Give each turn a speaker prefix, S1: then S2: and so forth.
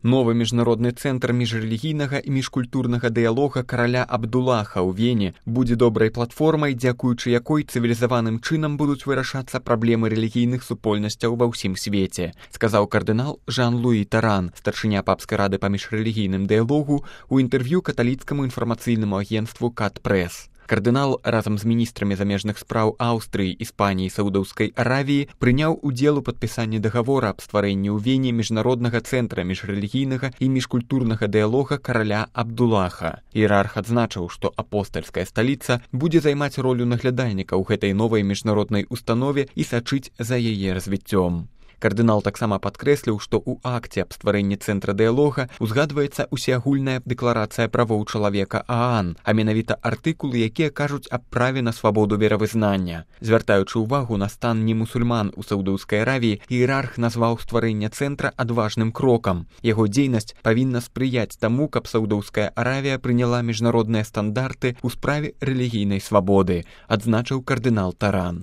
S1: Новы міжнародны цэнтр міжрэлігійнага і міжкультурнага дыялога караля Абдулаха ў Вене будзе добрай платформай, дзякуючы якой цывілізаваным чынам будуць вырашацца праблемы рэлігійных супольнасцяў ва ўсім свеце, сказаў кардынал Жан-Луі Таран, старшыня папскай рады па міжрэлігійным дыялогу, у інтэрв'ю каталіцкаму інфармацыйнаму агенцтву «Кат-Прэс». Кардынал разам з міністрамі замежных спраў Аўстрыі, Іспаніі і Саудаўскай Аравіі прыняў удзел у падпісанні дагавора аб стварэнні ў Вене міжнароднага цэнтра міжрэлігійнага і міжкультурнага дыялога караля Абдулаха. Іерарх адзначыў, што апостальская сталіца будзе займаць ролю наглядальніка ў гэтай новай міжнароднай установе і сачыць за яе развіццём. Кардынал таксама падкрэсліў, што ў акце аб стварэнні цэнтра дыялога узгадваецца усеагульная дэкларацыя правоў чалавека ААН, а менавіта артыкулы, якія кажуць аб праве на свабоду веравызнання. Звяртаючы ўвагу на стан немусульман у Саудаўскай Аравіі, іерарх назваў стварэнне цэнтра адважным крокам. Яго дзейнасць павінна спрыяць таму, каб Саудаўская Аравія прыняла міжнародныя стандарты ў справе рэлігійнай свабоды, адзначыў кардынал Таран.